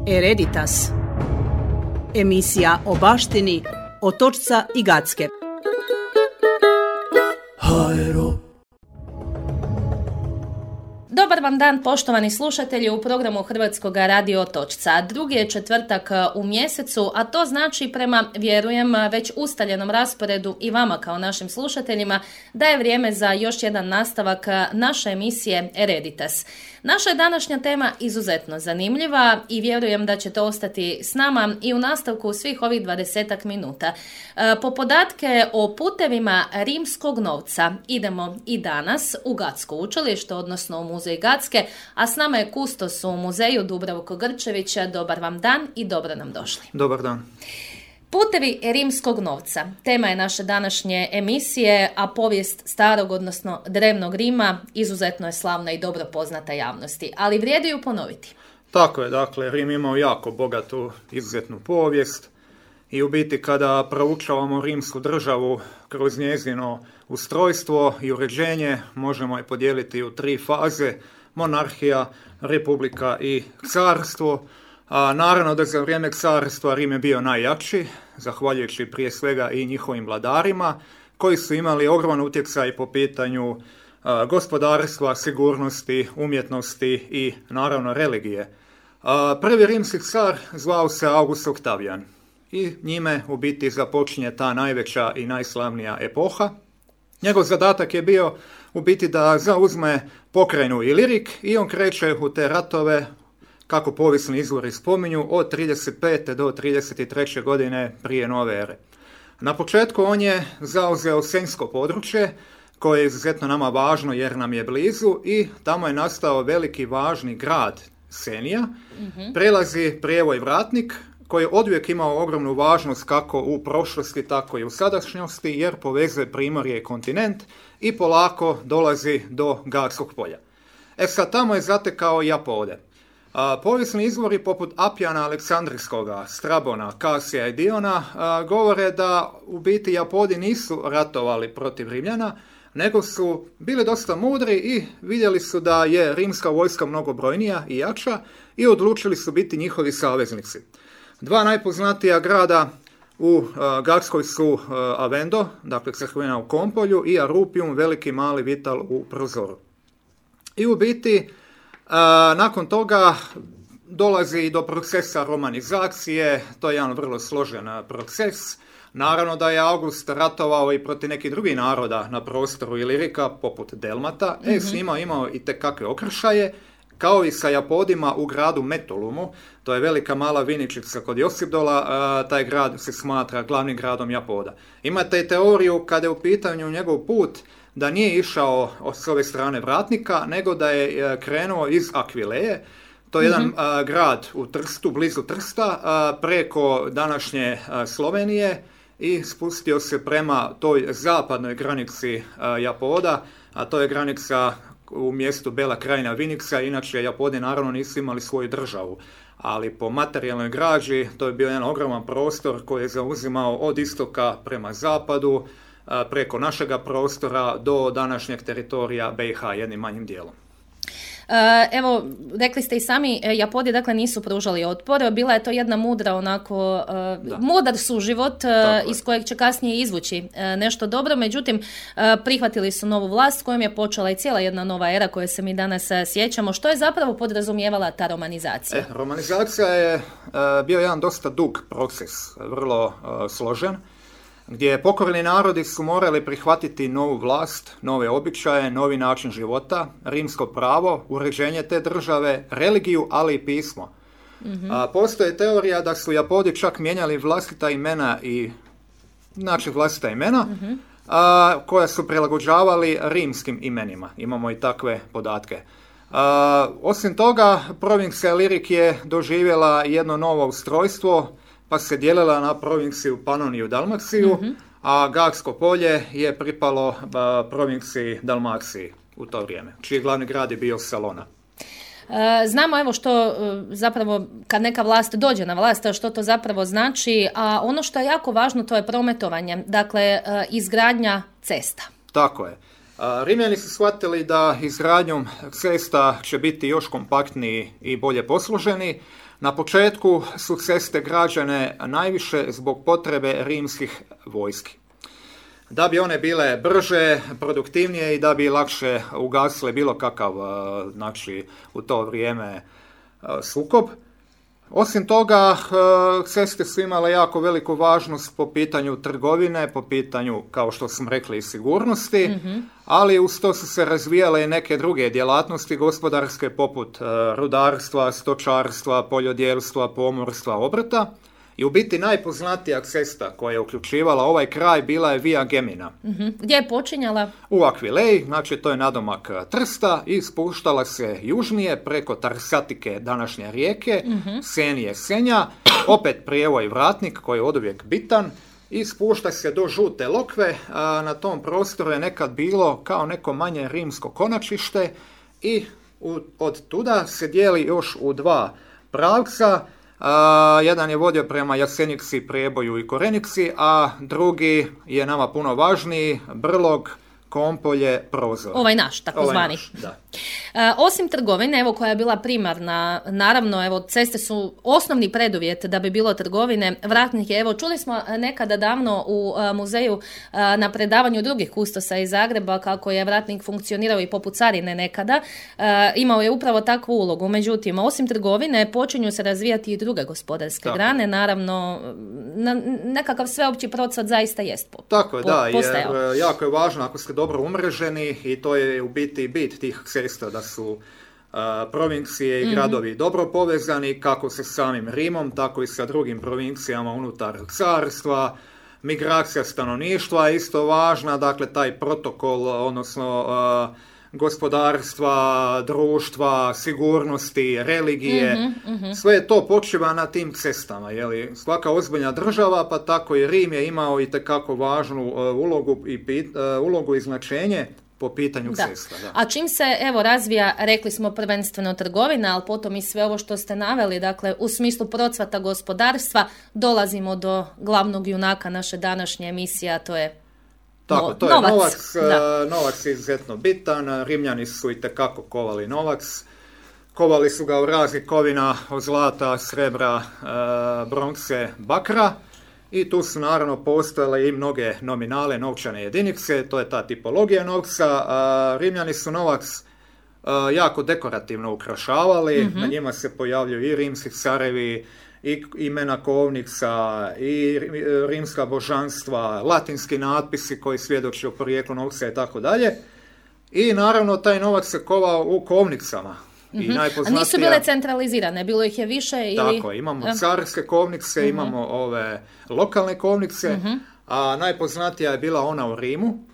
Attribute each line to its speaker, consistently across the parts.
Speaker 1: Hereditas. Emisija o baštini Otočca i Gacke.
Speaker 2: Dobar vam dan, poštovani slušatelji, u programu Hrvatskog radio Otočca. Drugi je četvrtak u mjesecu, a to znači prema, vjerujem, već ustaljenom rasporedu i vama kao našim slušateljima da je vrijeme za još jedan nastavak naše emisije Hereditas. Naša je današnja tema izuzetno zanimljiva i vjerujem da ćete ostati s nama i u nastavku svih ovih 20 minuta. Po podatke o putevima rimskog novca idemo i danas u Gacko učilište, odnosno u muzej Gacke, a s nama je kustos u muzeju Dubravko Grčević. Dobar vam dan i dobro nam došli.
Speaker 3: Dobar dan.
Speaker 2: Putevi rimskog novca. Tema je naše današnje emisije, a povijest starog, odnosno drevnog Rima, izuzetno je slavna i dobro poznata javnosti, ali vrijedi ju ponoviti.
Speaker 3: Tako je, dakle, Rim imao jako bogatu, izuzetnu povijest i u biti kada proučavamo rimsku državu kroz njezino ustrojstvo i uređenje, možemo je podijeliti u 3 faze: monarhija, republika i carstvo. A naravno da za vrijeme carstva Rim je bio najjači, zahvaljujući prije svega i njihovim vladarima, koji su imali ogroman utjecaj po pitanju gospodarstva, sigurnosti, umjetnosti i naravno religije. Prvi rimski car zvao se August Octavian i njime u biti započinje ta najveća i najslavnija epoha. Njegov zadatak je bio u biti da zauzme pokrajinu Ilirik i on kreće u te ratove, kako povijesni izvori spominju, od 35. do 33. godine prije nove ere. Na početku on je zauzeo Senjsko područje, koje je izuzetno nama važno jer nam je blizu, i tamo je nastao veliki važni grad Senija. Prelazi prijevoj Vratnik, koji je oduvijek imao ogromnu važnost kako u prošlosti, tako i u sadašnjosti, jer povezuje primorje i kontinent i polako dolazi do Gatskog polja. Sad tamo je zatekao Japode. Povijesni izvori poput Apijana Aleksandrijskoga, Strabona, Kasija i Diona govore da u biti Japodi nisu ratovali protiv Rimljana, nego su bili dosta mudri i vidjeli su da je rimska vojska mnogo brojnija i jača i odlučili su biti njihovi saveznici. 2 najpoznatija grada u Gatskoj su Avendo, dakle crkvena u Kompolju, i Arupium, veliki mali Vital u Prozoru. I u biti nakon toga dolazi i do procesa romanizacije. To je jedan vrlo složen proces. Naravno da je August ratovao i protiv nekih drugih naroda na prostoru Ilirika, poput Delmata. S njima imao i tekakve okršaje, kao i sa Japodima u gradu Metolumu. To je velika mala viničica kod Josipdola. Taj grad se smatra glavnim gradom Japoda. Imate i teoriju kada je u pitanju njegov put da nije išao s ove strane Vratnika, nego da je krenuo iz Akvileje. To je jedan grad u Trstu, blizu Trsta, preko današnje Slovenije, i spustio se prema toj zapadnoj granici Japoda, a to je granica u mjestu Bela Krajina Viniksa. Inače, Japodi naravno nisu imali svoju državu, ali po materijalnoj građi to je bio jedan ogroman prostor koji je zauzimao od istoka prema zapadu, preko našega prostora do današnjeg teritorija BiH jednim manjim dijelom.
Speaker 2: Evo, rekli ste i sami, Japodi dakle nisu pružali otpor, bila je to jedna mudra onako, mudar suživot iz kojeg će kasnije izvući nešto dobro, međutim prihvatili su novu vlast kojom je počela i cijela jedna nova era koje se mi danas sjećamo. Što je zapravo podrazumijevala ta romanizacija?
Speaker 3: Romanizacija je bio jedan dosta dug proces, vrlo složen, gdje pokorni narodi su morali prihvatiti novu vlast, nove običaje, novi način života, rimsko pravo, uređenje te države, religiju, ali i pismo. Postoji teorija da su Japodi čak mijenjali vlastita imena koja su prilagođavali rimskim imenima. Imamo i takve podatke. Osim toga, provincija Ilirik je doživjela jedno novo ustrojstvo, pa se dijelila na provinciju Panoniju Dalmaciju, a Gatsko polje je pripalo provinciji Dalmaciji u to vrijeme, čiji glavni grad je bio Salona.
Speaker 2: Znamo evo što zapravo kad neka vlast dođe na vlast, što to zapravo znači, a ono što je jako važno to je prometovanje, dakle izgradnja cesta.
Speaker 3: Tako je. Rimljani su shvatili da izgradnjom cesta će biti još kompaktniji i bolje posluženi. Na početku su ceste građene najviše zbog potrebe rimskih vojski. Da bi one bile brže, produktivnije i da bi lakše ugasile bilo kakav, znači, u to vrijeme sukob. Osim toga, ceste su imale jako veliku važnost po pitanju trgovine, po pitanju, kao što smo rekli, i sigurnosti, ali uz to su se razvijale i neke druge djelatnosti gospodarske poput rudarstva, stočarstva, poljodjelstva, pomorstva, obrta. I u biti najpoznatija cesta koja je uključivala ovaj kraj bila je Via Gemina.
Speaker 2: Gdje je počinjala?
Speaker 3: U Aquileji, znači to je nadomak Trsta, i spuštala se južnije preko Tarsatike, današnje rijeke, Senije, Senja, opet prijevoj Vratnik koji je oduvijek bitan, i spušta se do Žute Lokve. Na tom prostoru je nekad bilo kao neko manje rimsko konačište i od tuda se dijeli još u dva pravca. Jedan je vodio prema Jasenici, Prijeboju i Korenici, a drugi je nama puno važniji, Brlog, Kompolje, Prozor.
Speaker 2: Ovaj naš, takozvani.
Speaker 3: Da.
Speaker 2: Osim trgovine, evo, koja je bila primarna, naravno, evo, ceste su osnovni preduvjet da bi bilo trgovine. Vratnik je, evo, čuli smo nekada davno u muzeju na predavanju drugih kustosa iz Zagreba kako je Vratnik funkcionirao i poput carine nekada. Imao je upravo takvu ulogu. Međutim, osim trgovine počinju se razvijati i druge gospodarske grane. Naravno, nekakav sveopći procvat zaista jest postajao.
Speaker 3: Jer jako je važno ako ste dobro umreženi, i to je u biti bit tih cesta, da su provincije i gradovi dobro povezani, kako sa samim Rimom, tako i sa drugim provincijama unutar carstva. Migracija stanovništva je isto važna, dakle taj protokol, odnosno gospodarstva, društva, sigurnosti, religije, sve to počiva na tim cestama. Jeli? Svaka ozbiljna država, pa tako i Rim je imao itekako važnu ulogu i značenje po pitanju cesta. Da.
Speaker 2: A čim se, evo, razvija, rekli smo prvenstveno trgovina, ali potom i sve ovo što ste naveli, dakle, u smislu procvata gospodarstva, dolazimo do glavnog junaka naše današnje emisije, a to je
Speaker 3: to je novac. Novac je izuzetno bitan. Rimljani su itekako kovali novac. Kovali su ga u raznih kovina od zlata, srebra, bronkse, bakra. I tu su naravno postojale i mnoge nominale, novčane jedinice. To je ta tipologija novca. Rimljani su novac jako dekorativno ukrašavali. Na njima se pojavljuju i rimski carevi, i imena kovnica, i rimska božanstva, latinski natpisi koji svjedoče o porijeklu novca i tako dalje. I naravno taj novac se kovao u kovnicama.
Speaker 2: A nisu bile centralizirane, bilo ih je više ili...
Speaker 3: Tako, imamo carske kovnice, imamo ove lokalne kovnice, a najpoznatija je bila ona u Rimu,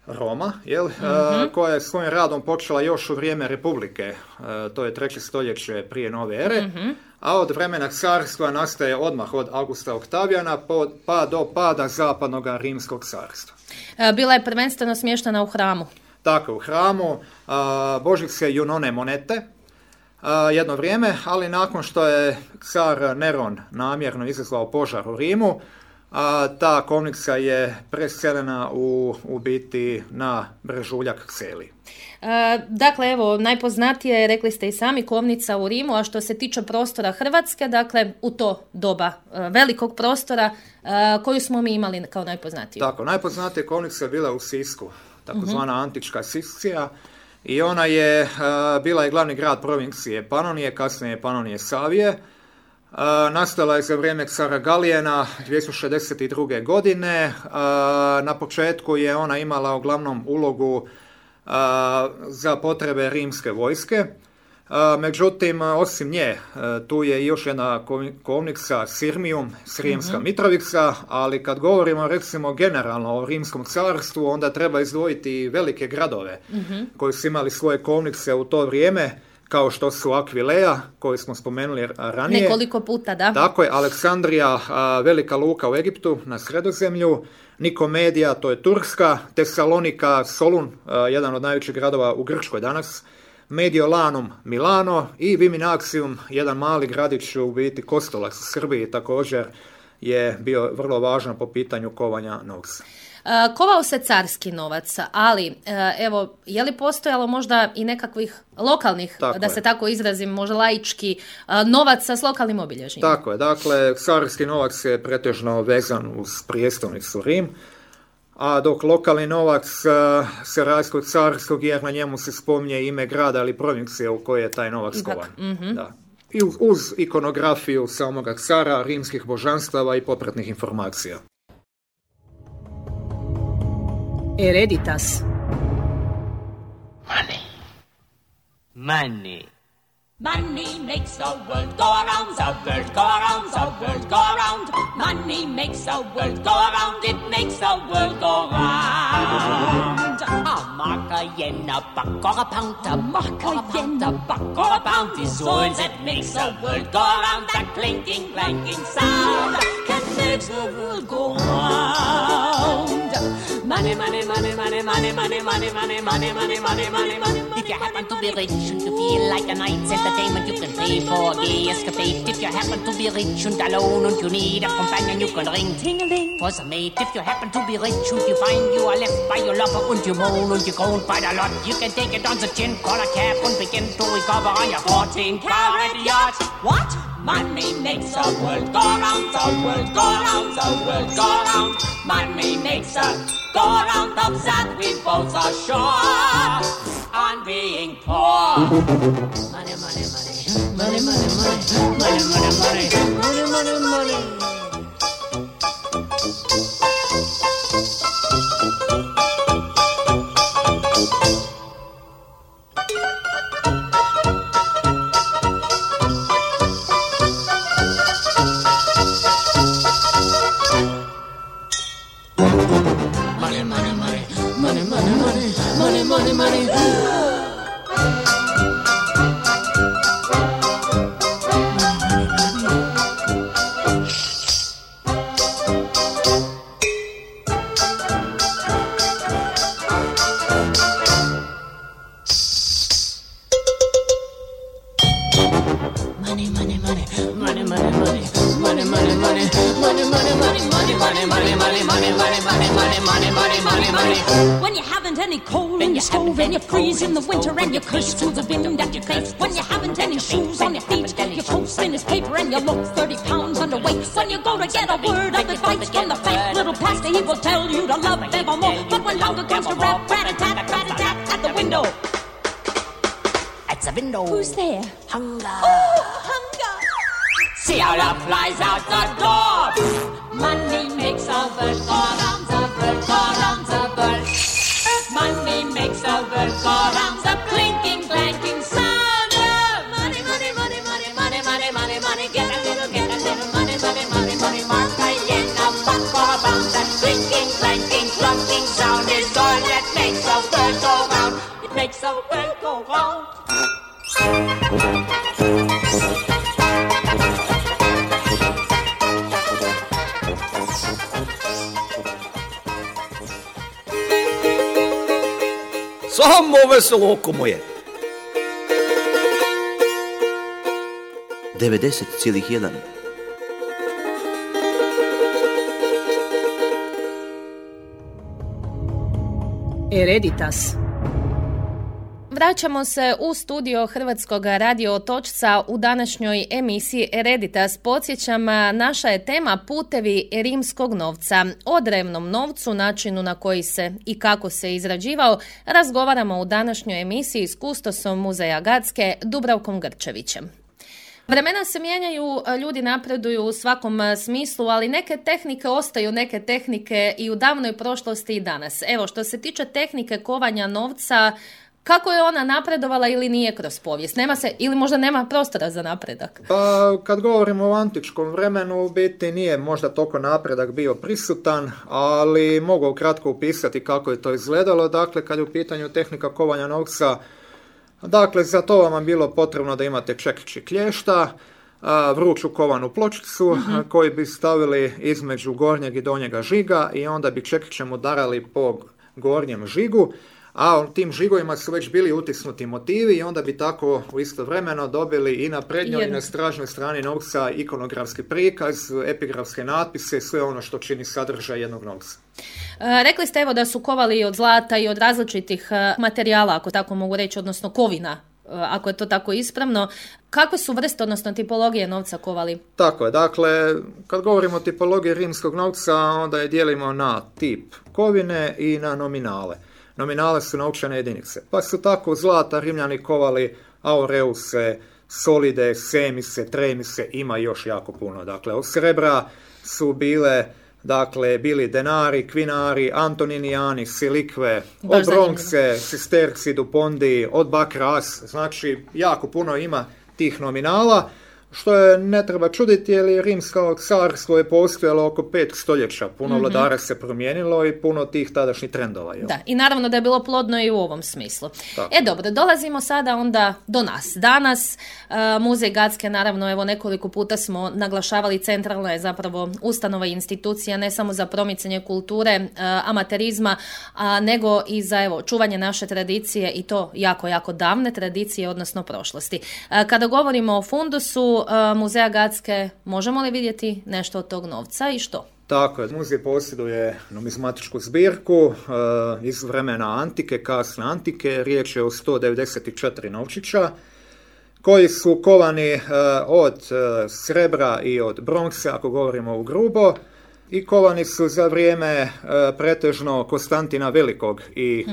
Speaker 3: Roma, koja je svojim radom počela još u vrijeme Republike, to je 3. stoljeće prije nove ere, a od vremena carstva nastaje odmah od Augusta Oktavijana pa do pada zapadnog rimskog carstva.
Speaker 2: Bila je prvenstveno smještena u hramu.
Speaker 3: Tako, u hramu božice Junone monete jedno vrijeme, ali nakon što je car Neron namjerno izazvao požar u Rimu, ta kovnica je preseljena u biti na Brežuljak Kseli.
Speaker 2: Dakle, evo, najpoznatije je, rekli ste i sami, kovnica u Rimu, a što se tiče prostora Hrvatske, dakle, u to doba velikog prostora, koju smo mi imali kao najpoznatiju?
Speaker 3: Tako, najpoznatija kovnica je bila u Sisku, takozvana antička Siscija, i ona je bila i glavni grad provincije Panonije, kasnije Panonije Savije. Nastala je za vrijeme cara Galijena 262. godine. Na početku je ona imala uglavnom ulogu za potrebe rimske vojske. Međutim, osim nje, tu je još jedna kovnica Sirmium, Srijemska Mitrovica, ali kad govorimo recimo generalno o rimskom carstvu, onda treba izdvojiti velike gradove koji su imali svoje kovnice u to vrijeme, kao što su Aquileja, koju smo spomenuli ranije.
Speaker 2: Nekoliko puta, da.
Speaker 3: Tako je, Aleksandrija, velika luka u Egiptu, na Sredozemlju, Nikomedija, to je Turska, Tesalonika, Solun, jedan od najvećih gradova u Grčkoj danas, Mediolanum, Milano, i Viminaxium, jedan mali gradić u biti Kostolac u Srbiji, također je bio vrlo važan po pitanju kovanja novca.
Speaker 2: Kovao se carski novac, ali evo, je li postojalo možda i nekakvih lokalnih, da se tako izrazim, možda laički, novaca s lokalnim obilježjima?
Speaker 3: Tako je, dakle, carski novac je pretežno vezan uz prijestolnicu Rim, a dok lokalni novac se razlikuje od carskog jer na njemu se spominje ime grada ili provincije u kojoj je taj novac kovan. Da. I uz ikonografiju samoga cara, rimskih božanstava i popratnih informacija.
Speaker 1: Hereditas.
Speaker 4: Money.
Speaker 5: Money makes the world go around, the world go around, the world go around. Money makes the world go around, it makes the world go round. A mark, a yen, a buck, or a pound, a mark, a yen, a buck, or a pound is all that makes the world go around. That clinking, clanking sound can make the world go round. Money, money, money, money, money, money, money, money, money, money, money, money, money. If you happen to be rich and you feel like a night's entertainment, you can pay for a gay escapade. If you happen to be rich and alone and you need a companion, you can ring ting-a-ling for some mate. If you happen to be rich and you find you are left by your lover and you moan and you go by the lot, you can take it on the chin, call a cab and begin to recover on your 14-carat yacht. What? Money makes the world go round, the world go round, the world go round. Money makes the go round of that we both are sure on being poor. Money, money, money, money, money, money, money, money, money, money, money, money. When you haven't any coal in your stove and you freeze in the winter and you curse to the wind at your face. When you haven't any shoes on your feet, your post in his paper and you look 30 pounds underweight. When you go to get a word of advice from the fat little pastor, he will tell you to love evermore. But when hunger comes to rap, rat-a-tat at the window. At the window. Who's there? Hunger. Oh, hunger. See how love flies out the door. Money makes the world go round, the world go round, the world. Money makes the world go round, the clinking, clanking sound of money, money, money, money, money, money, money, money. Get a little money, money, money, money. Mark a yen, a buck or a pound. That clinking, clanking, clunking sound is all that makes the world go round. It makes the world go round.
Speaker 6: Samo veselo oko moje. 90,1.
Speaker 1: Hereditas.
Speaker 2: Vraćamo se u studio Hrvatskog radio Otočca u današnjoj emisiji Hereditas. Podsjećam, naša je tema putevi rimskog novca. O drevnom novcu, načinu na koji se i kako se izrađivao, razgovaramo u današnjoj emisiji s kustosom Muzeja Gatske Dubravkom Grčevićem. Vremena se mijenjaju, ljudi napreduju u svakom smislu, ali neke tehnike ostaju neke tehnike i u davnoj prošlosti i danas. Evo, što se tiče tehnike kovanja novca, kako je ona napredovala ili nije kroz povijest? Nema se, ili možda nema prostora za napredak?
Speaker 3: Pa, kad govorimo o antičkom vremenu, u biti nije možda toliko napredak bio prisutan, ali mogu ukratko upisati kako je to izgledalo. Dakle, kad je u pitanju tehnika kovanja novca, dakle, za to vam je bilo potrebno da imate čekić i klješta, vruću kovanu pločicu koju bi stavili između gornjeg i donjega žiga i onda bi čekićem udarali po gornjem žigu, a u tim žigovima su već bili utisnuti motivi i onda bi tako u istovremeno dobili i na prednjoj i na stražnoj strani novca ikonografski prikaz, epigrafske natpise, sve ono što čini sadržaj jednog novca.
Speaker 2: Rekli ste evo da su kovali i od zlata i od različitih materijala, ako tako mogu reći, odnosno kovina, ako je to tako ispravno. Kakve su vrste, odnosno tipologije novca kovali?
Speaker 3: Tako je, dakle, kad govorimo o tipologiji rimskog novca, onda je dijelimo na tip kovine i na nominale. Nominale su novčane jedinice, pa su tako zlata Rimljani kovali aureuse, solide, semise, tremise, ima još jako puno. Dakle, od srebra su bili denari, kvinari, antoninijani, silikve, od bronce, sesterci, dupondi, od bakra, znači jako puno ima tih nominala, što je ne treba čuditi jer je rimsko carstvo je postojalo oko 5 stoljeća. Puno vladara se promijenilo i puno tih tadašnjih trendova.
Speaker 2: Da, i naravno da je bilo plodno i u ovom smislu. Tako. Dobro, dolazimo sada onda do nas. Danas Muzej Gacke, naravno, evo nekoliko puta smo naglašavali, centralna je zapravo ustanova i institucija ne samo za promicanje kulture, amaterizma, nego i za čuvanje naše tradicije i to jako, jako davne tradicije, odnosno prošlosti. Kada govorimo o fundusu Muzeja Gacke, možemo li vidjeti nešto od tog novca i što?
Speaker 3: Tako je, muzej posjeduje numizmatičku zbirku iz vremena antike, kasne antike, riječ je o 194 novčića, koji su kovani od srebra i od bronce, ako govorimo u grubo, i kovani su za vrijeme pretežno Konstantina Velikog i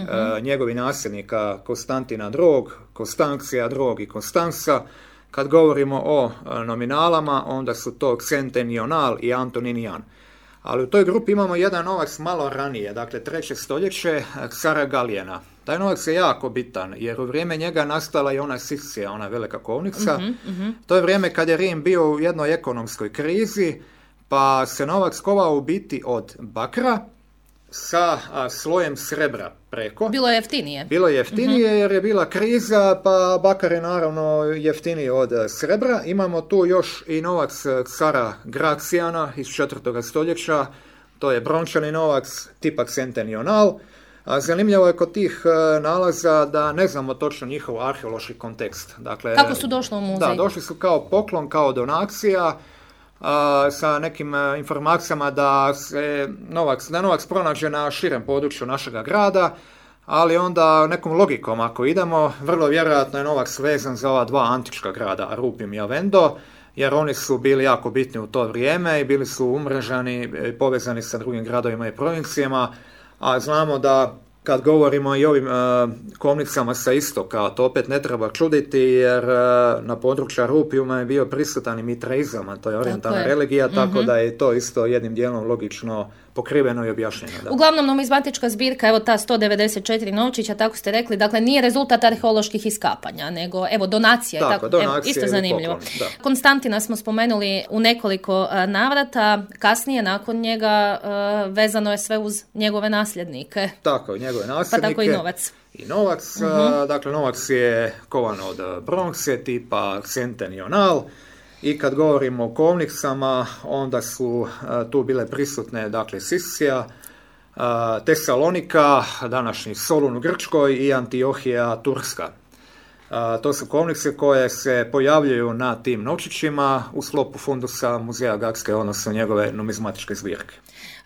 Speaker 3: njegovih nasljednika Konstantina II, Konstancija II i Konstansa. Kad govorimo o nominalama, onda su to centenional i antoninijan. Ali u toj grupi imamo jedan novac malo ranije, dakle 3. stoljeće, cara Galijena. Taj novac je jako bitan, jer u vrijeme njega nastala i ona Siscija, ona velika kovnica. To je vrijeme kad je Rim bio u jednoj ekonomskoj krizi, pa se novac kovao u biti od bakra sa slojem srebra preko.
Speaker 2: Bilo je jeftinije.
Speaker 3: Bilo je jeftinije jer je bila kriza, pa bakar je naravno jeftiniji od srebra. Imamo tu još i novac cara Gracijana iz 4. stoljeća, to je brončani novac tipa centenional. Zanimljivo je kod tih nalaza da ne znamo točno njihov arheološki kontekst. Dakle,
Speaker 2: kako su došli u muzej?
Speaker 3: Da, došli su kao poklon, kao donacija, sa nekim informacijama da je novac pronađe na širem području našega grada, ali onda nekom logikom ako idemo, vrlo vjerojatno je novac vezan za ova dva antička grada, Arupim i Avendo, jer oni su bili jako bitni u to vrijeme i bili su umrežani, povezani sa drugim gradovima i provincijama, a znamo da kad govorimo i o ovim kovnicama sa istoka, to opet ne treba čuditi jer na području Arupijuma je bio prisutan i mitraizam, a to je orijentalna religija, tako da je to isto jednim dijelom logično pokriveno i objašnjeno. Da.
Speaker 2: Uglavnom, numizmatička zbirka, evo ta 194 novčića, tako ste rekli, dakle nije rezultat arheoloških iskapanja, nego donacija.
Speaker 3: Tako, donacija
Speaker 2: isto zanimljivo.
Speaker 3: Poklon,
Speaker 2: Konstantina smo spomenuli u nekoliko navrata, kasnije nakon njega vezano je sve uz njegove nasljednike.
Speaker 3: Tako, njegove nasljednike.
Speaker 2: Pa tako i novac.
Speaker 3: I novac, dakle novac je kovan od bronce tipa centenional. I kad govorimo o kovnicama, onda su tu bile prisutne, dakle, Siscija, Tesalonika, današnji Solun u Grčkoj i Antiohija Turska. To su kovnice koje se pojavljuju na tim novčićima u sklopu fundusa Muzeja Gacke, odnosno njegove numizmatičke zbirke.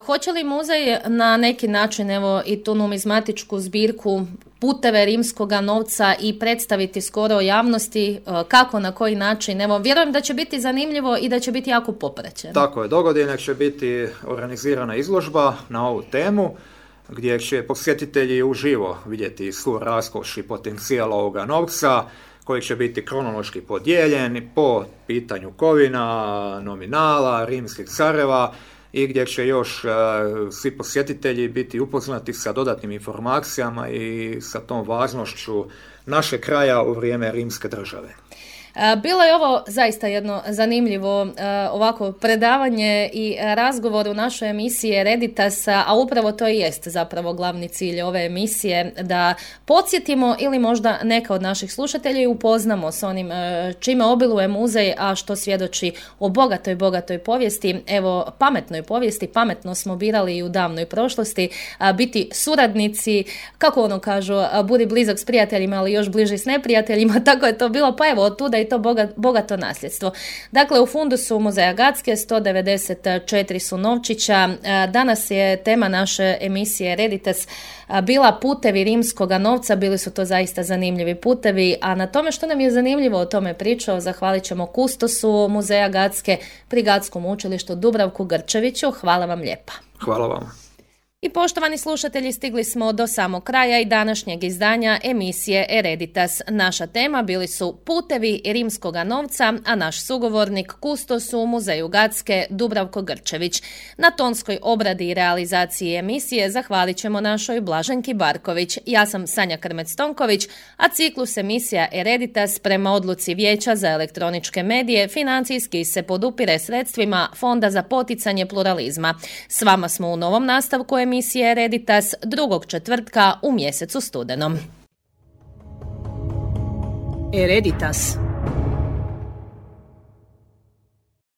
Speaker 2: Hoće li muzej na neki način i tu numizmatičku zbirku, puteve rimskoga novca i predstaviti skoro javnosti kako, na koji način? Vjerujem da će biti zanimljivo i da će biti jako popraćeno.
Speaker 3: Tako je, dogodine će biti organizirana izložba na ovu temu gdje će posjetitelji uživo vidjeti svu raskoš i potencijal ovoga novca koji će biti kronološki podijeljen po pitanju kovina, nominala, rimskih careva i gdje će još svi posjetitelji biti upoznati sa dodatnim informacijama i sa tom važnošću našeg kraja u vrijeme rimske države.
Speaker 2: Bilo je ovo zaista jedno zanimljivo ovako predavanje i razgovor u našoj emisiji Hereditas, a upravo to i jest zapravo glavni cilj ove emisije, da podsjetimo ili možda neka od naših slušatelja i upoznamo s onim čime obiluje muzej, a što svjedoči o bogatoj povijesti. Evo, pametnoj povijesti, pametno smo birali i u davnoj prošlosti, biti suradnici, kako ono kažu, budi blizak s prijateljima, ali još bliži s neprijateljima, tako je to bilo, pa evo, otuda i to bogato nasljedstvo. Dakle, u fundusu Muzeja Gacke 194 su novčića. Danas je tema naše emisije Hereditas bila putevi rimskoga novca. Bili su to zaista zanimljivi putevi, a na tome što nam je zanimljivo o tome pričao zahvalit ćemo kustosu Muzeja Gacke pri Gatskom učilištu Dubravku Grčeviću. Hvala vam lijepa.
Speaker 3: Hvala vama.
Speaker 2: I poštovani slušatelji, stigli smo do samog kraja i današnjeg izdanja emisije Hereditas. Naša tema bili su putevi rimskoga novca, a naš sugovornik kustos u Muzeju Gacke Dubravko Grčević. Na tonskoj obradi i realizaciji emisije zahvalit ćemo našoj Blaženki Barković. Ja sam Sanja Krmec-Tonković, a ciklus emisija Hereditas prema odluci Vijeća za elektroničke medije financijski se podupire sredstvima Fonda za poticanje pluralizma. S vama smo u novom nastavku emisije Hereditas drugog četvrtka u mjesecu studenom.
Speaker 1: Hereditas.